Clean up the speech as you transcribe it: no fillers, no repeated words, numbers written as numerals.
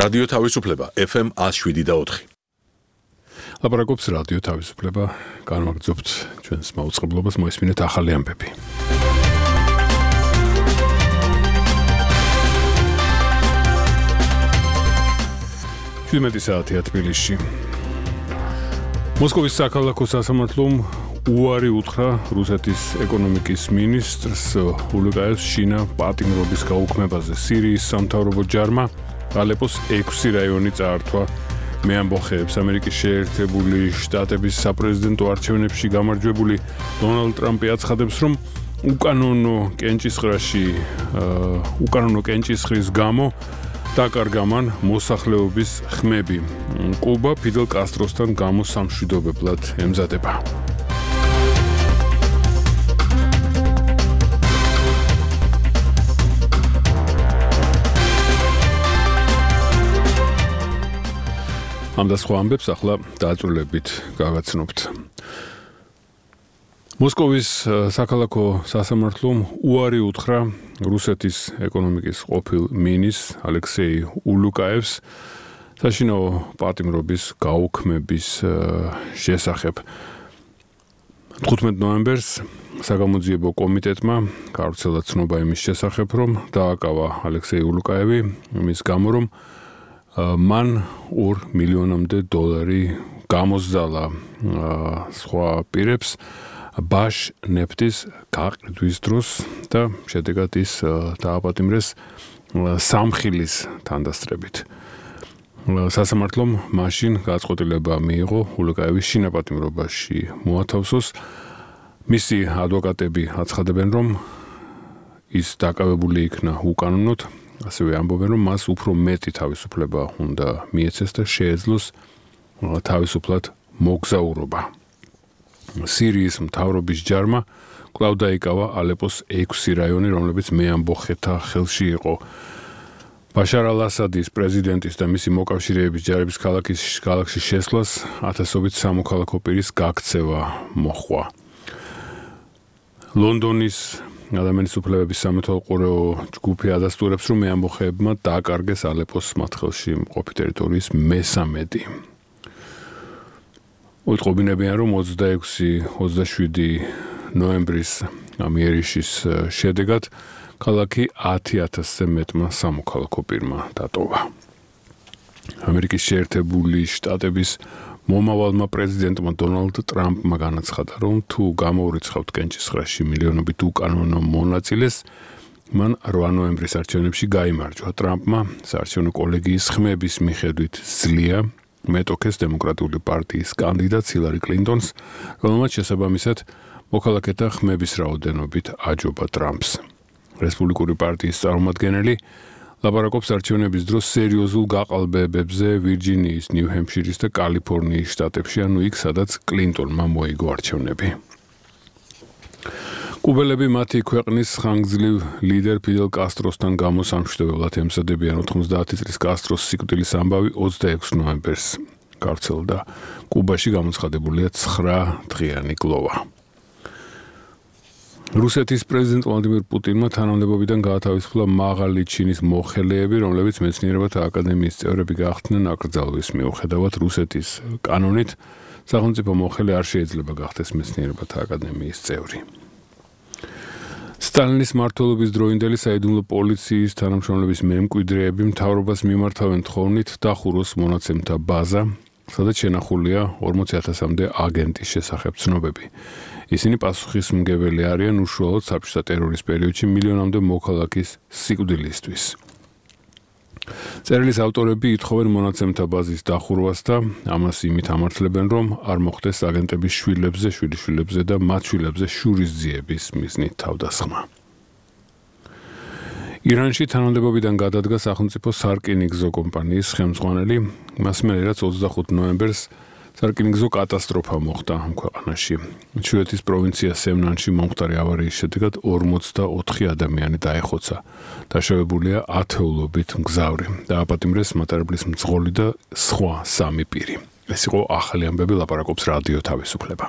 რადიო თავისუფლება FM 107.4. ლაპარაკობს რადიო თავისუფლება, განვაგრძობთ ჩვენს მაუწყებლობას, მოისმინეთ ახალი ამბები. 17 საათია თბილისში. მოსკოვის საქალაქო სასამართლომ უარი უთხრა რუსეთის ეკონომიკის მინისტრს ულუკაევს შინა პატიმრობის გაუქმებაზე. სირიის სამთავრობო ჯარმა ალეპოს 6 რაიონი წაართვა. მე ამბოხებს ამერიკის შეერთებული შტატების საპრეზიდენტო არჩევნებში გამარჯვებული დონალდ ტრამპი აცხადებს, რომ უკანონო კენჭისყრის გამო დაკარგა მან მოსახლეობის ხმები. კუბა ფიდელ კასტროსთან გამოსამშვიდობებლად ემზადება. ამ და სხვა ამბებს ახლა დაწვრილებით გავაცნობთ. მოსკოვის საქალაქო სასამართლომ უარი უთხრა რუსეთის ეკონომიკის ყოფილ მინისტრს ალექსეი ულუკაევს საშინაო პატიმრობის გაუქმების შესახებ. 15 ნოემბერს საგამოძიებო კომიტეტმა გავრცელა ცნობა იმის შესახებ, რომ დააკავა ალექსეი ულუკაევი იმის გამო, რომ მან $2 მილიონამდე გამოსძალა სხვა პირებს ბაშ ნეფტის გაყიდვის დროს და შედეგად ის დააპატიმრეს სამხილის თანდასწრებით. სასამართლომ მაშინ გაწყვეტილება მიიღო ულუკაევის შინაპატიმრობაში მოათავსოს. მისი ადვოკატები აცხადებენ, რომ ის დაკავებული იქნა უკანონოდ, ასევე ამბობენ, რომ მას უფრო მეტი თავისუფლება უნდა მიეცეს და შეეძლოს თავისუფლად მოგზაურობა. სირიის მთავრობის ჯარმა კვლავ დაიკავა ალეპოს 6 რაიონი, რომლებიც მეამბოხეთა ხელში იყო. ბაშარ ალ-ასადის პრეზიდენტის და მისი მოკავშირეების ჯარების ქალაქში შესვლას ათასობით სამოქალაქო პირის გაქცევა მოჰყვა. ლონდონის ადამიანის უფლებების სამეთვალყურეო ჯგუფი ადასტურებს, რომ მეამბოხეებმა დააკარგეს ალეპოს მათ ხელში მყოფი ტერიტორიის 1/3. უთყობინებიან, რომ 26-27 ნოემბრის ამიერიშის შედეგად ქალაქი 10,000-ზე მეტმა სამოქალაქო პირმა დატოვა. ამერიკის შეერთებული შტატების მომავალმა პრეზიდენტმა დონალდ ტრამპმა განაცხადა, რომ თუ გამოურიცხავთ კენჭისყრაში მილიონობით უკანონო მონაწილეს, მან 8 ნოემბრის არჩევნებში გაიმარჯვა. ტრამპმა საარჩევნო კოლეგიის ხმების მიხედვით ძლია მეტოქეს დემოკრატიული პარტიის კანდიდატს ჰილარი კლინტონს, რომელმაც შესაბამისად მოქალაქეთა ხმების რაოდენობით აჯობა ტრამპს. რესპუბლიკური პარტიის წარმომადგენელი ლაპარაკობს არჩევნების დროს სერიოზულ გაყალბებებზე ვირჯინიის, ნიუ-ჰემფშირის და კალიფორნიის შტატებში, ანუ იქ, სადაც კლინტონმა მოიგო არჩევნები. კუბელები მათი ქვეყნის ხანგრძლივ ლიდერ ფიდელ კასტროსთან გამოსამშვიდობებლად ემზადებიან. 90 წლის კასტროს სიკვდილის ამბავი 26 ნოემბერს გავრცელდა. კუბაში გამოცხადებულია 9 დღიანი გლოვა. რუსეთის პრეზიდენტ ვლადიმირ პუტინმა თანამდებობიდან გაათავისუფლა მაღალი ჩინის მოხელეები, რომლებიც მეცნიერებათა აკადემიის წევრები გახდნენ. აკრძალვის მიუხედავად რუსეთის კანონით სახელმწიფო მოხელე არ შეიძლება გახდეს მეცნიერებათა აკადემიის წევრი. სტალინის მმართველობის დროინდელი საიდუმლო პოლიციის თანამშრომლების მემკვიდრეები მთავრობას მიმართავენ თხოვნით დახუროს მონაცემთა ბაზა, სადაც შენახულია 40,000-მდე აგენტის შესახებ ცნობები. ისინი პასუხისმგებელი არიან უშუალოდ საბჭოთა ტერორის პერიოდში მილიონამდე მოქალაქის სიკვდილისთვის. წერილის ავტორები ითხოვენ მონაცემთა ბაზის დახურვას და ამას იმით ამართლებენ, რომ არ მოხდეს აგენტების შვილიშვილებზე და მათ შვილებზე შურისძიების მიზნით თავდასხმა. ირანში თანამდებობიდან გადადგა სახელმწიფო სარკინიგზო კომპანიის ხელმძღვანელი, მას მერე რაც 25 ნოემბერს სარკინიგზო კატასტროფა მოხდა ამ ქვეყანაში. ჩრდილოეთის პროვინცია სემნანში მომხდარი ავარიის შედეგად 44 ადამიანი დაეხოცა. დაშავებულია ათეულობით მგზავრი. დააპატიმრეს მატარებლის მძღოლი და სხვა 3 პირი. ეს იყო ახალი ამბები, ლაპარაკობს რადიო თავისუფლება.